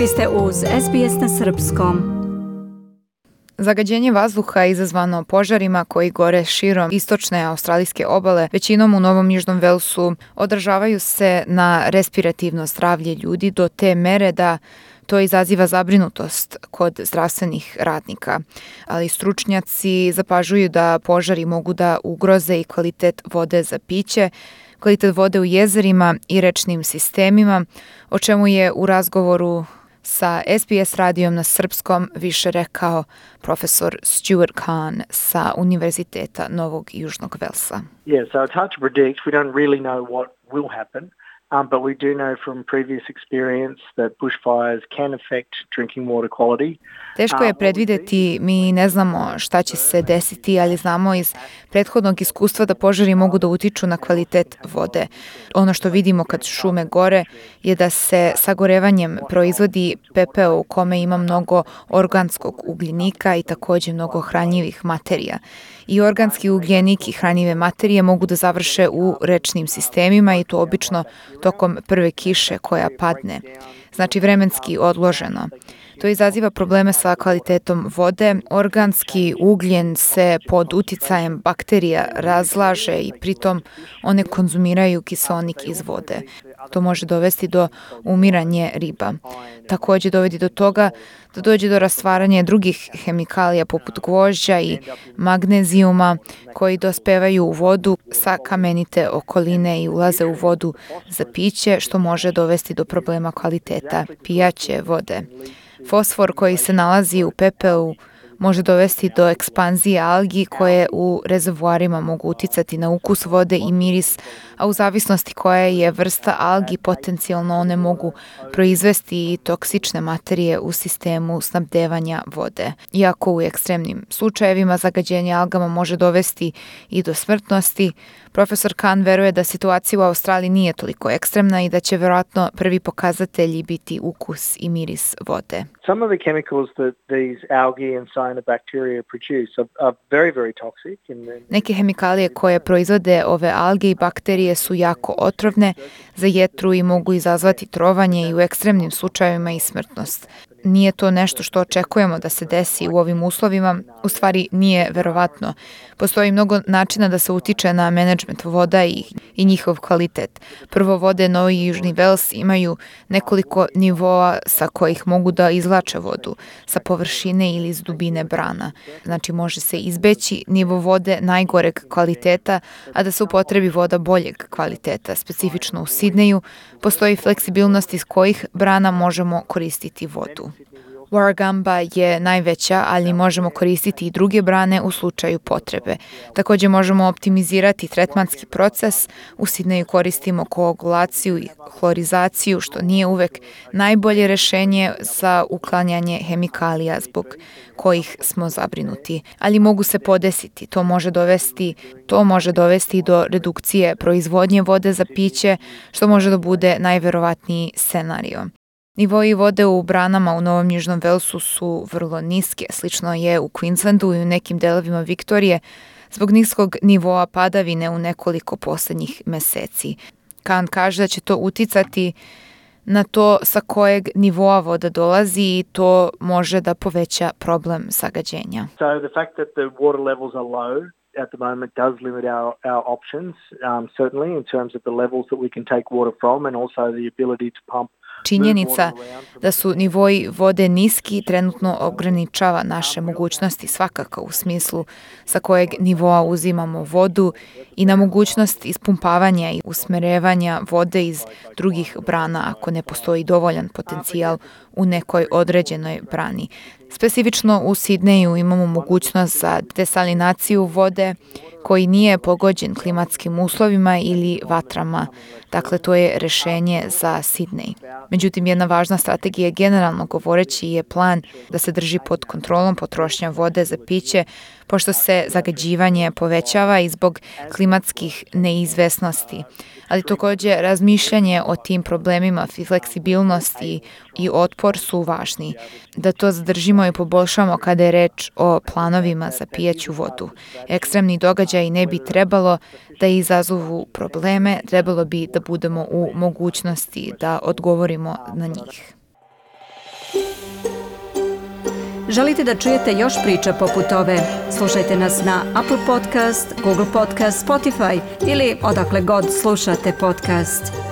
Vi ste uz SBS na srpskom. Zagađenje vazduha izazvano požarima koji gore širom istočne australijske obale, većinom u Novom Južnom Velsu, odražavaju se na respirativno zdravlje ljudi do te mere da to izaziva zabrinutost kod zdravstvenih radnika. Ali stručnjaci zapažuju da požari mogu da ugroze i kvalitet vode za piće, kvalitet vode u jezerima i rečnim sistemima, o čemu je u razgovoru sa SBS radijom na srpskom više rekao profesor Stuart Kahn sa Univerziteta Novog Južnog Velsa. Yeah, so it's hard to predict. We don't really know what will happen. But we do know from previous experience that bushfires can affect drinking water quality. Teško je predvideti, mi ne znamo šta će se desiti, ali znamo iz prethodnog iskustva da požari mogu da utiču na kvalitet vode. Ono što vidimo kad šume gore je da se sagorevanjem proizvodi pepeo u kome ima mnogo organskog ugljenika i također mnogo hranjivih materija. I organski ugljenik i hranjive materije mogu da završe u rečnim sistemima i to obično tokom prve kiše koja padne. Znači vremenski odloženo. To izaziva probleme sa kvalitetom vode. Organski ugljen se pod uticajem bakterija razlaže i pritom one konzumiraju kiseonik iz vode. To može dovesti do umiranja riba. Također dovodi do toga da dođe do rastvaranja drugih hemikalija poput gvožđa i magnezijuma koji dospevaju u vodu sa kamenite okoline i ulaze u vodu za piće, što može dovesti do problema kvaliteta pijaće vode. Fosfor koji se nalazi u pepelu može dovesti do ekspanzije algi koje u rezervoarima mogu uticati na ukus vode i miris, a u zavisnosti koja je vrsta algi potencijalno one mogu proizvesti i toksične materije u sistemu snabdevanja vode. Iako u ekstremnim slučajevima zagađenje algama može dovesti i do smrtnosti, profesor Kahn veruje da situacija u Australiji nije toliko ekstremna i da će vjerojatno prvi pokazatelji biti ukus i miris vode. Some of the chemicals that these algae and cyanobacteria produce are very, very toxic. Neke hemikalije koje proizvode ove alge i bakterije su jako otrovne za jetru i mogu izazvati trovanje i u ekstremnim slučajevima i smrtnost. Nije to nešto što očekujemo da se desi u ovim uslovima, u stvari nije verovatno. Postoji mnogo načina da se utiče na menadžment voda i njihov kvalitet. Prvo, vode Novi i Južni Vels imaju nekoliko nivoa sa kojih mogu da izvlače vodu, sa površine ili iz dubine brana. Znači može se izbeći nivo vode najgoreg kvaliteta, a da se upotrebi voda boljeg kvaliteta. Specifično u Sidneju postoji fleksibilnost iz kojih brana možemo koristiti vodu. Warragamba je najveća, ali možemo koristiti i druge brane u slučaju potrebe. Također možemo optimizirati tretmanski proces. U Sidneju koristimo koagulaciju i hlorizaciju, što nije uvek najbolje rješenje za uklanjanje hemikalija zbog kojih smo zabrinuti. Ali mogu se podesiti. To može dovesti do redukcije proizvodnje vode za piće, što može da bude najverovatniji scenario. Nivoi vode u branama u Novom Južnom Velsu su vrlo niske, slično je u Queenslandu i u nekim delovima Viktorije, zbog niskog nivoa padavine u nekoliko posljednjih meseci. Kahn kaže da će to uticati na to sa kojeg nivoa voda dolazi i to može da poveća problem zagađenja. So the fact that the water levels are low at the moment does limit our options, certainly in terms of the levels that we can take water from and also the ability to pump. Činjenica da su nivoji vode niski trenutno ograničava naše mogućnosti svakako u smislu sa kojeg nivoa uzimamo vodu i na mogućnost ispumpavanja i usmerevanja vode iz drugih brana ako ne postoji dovoljan potencijal u nekoj određenoj brani. Specifično u Sidneju imamo mogućnost za desalinaciju vode koji nije pogođen klimatskim uslovima ili vatrama. Dakle, to je rješenje za Sidnej. Međutim, jedna važna strategija generalno govoreći je plan da se drži pod kontrolom potrošnja vode za piće, pošto se zagađivanje povećava i zbog klimatskih neizvesnosti. Ali također razmišljanje o tim problemima, fleksibilnosti i otpor su važni. Da to zadržimo i poboljšamo kada je reč o planovima za pijaću vodu. Ekstremni događaji ne bi trebalo da izazovu probleme, trebalo bi da budemo u mogućnosti da odgovorimo na njih. Želite da čujete još priča poput ove? Slušajte nas na Apple Podcast, Google Podcast, Spotify ili odakle god slušate podcast.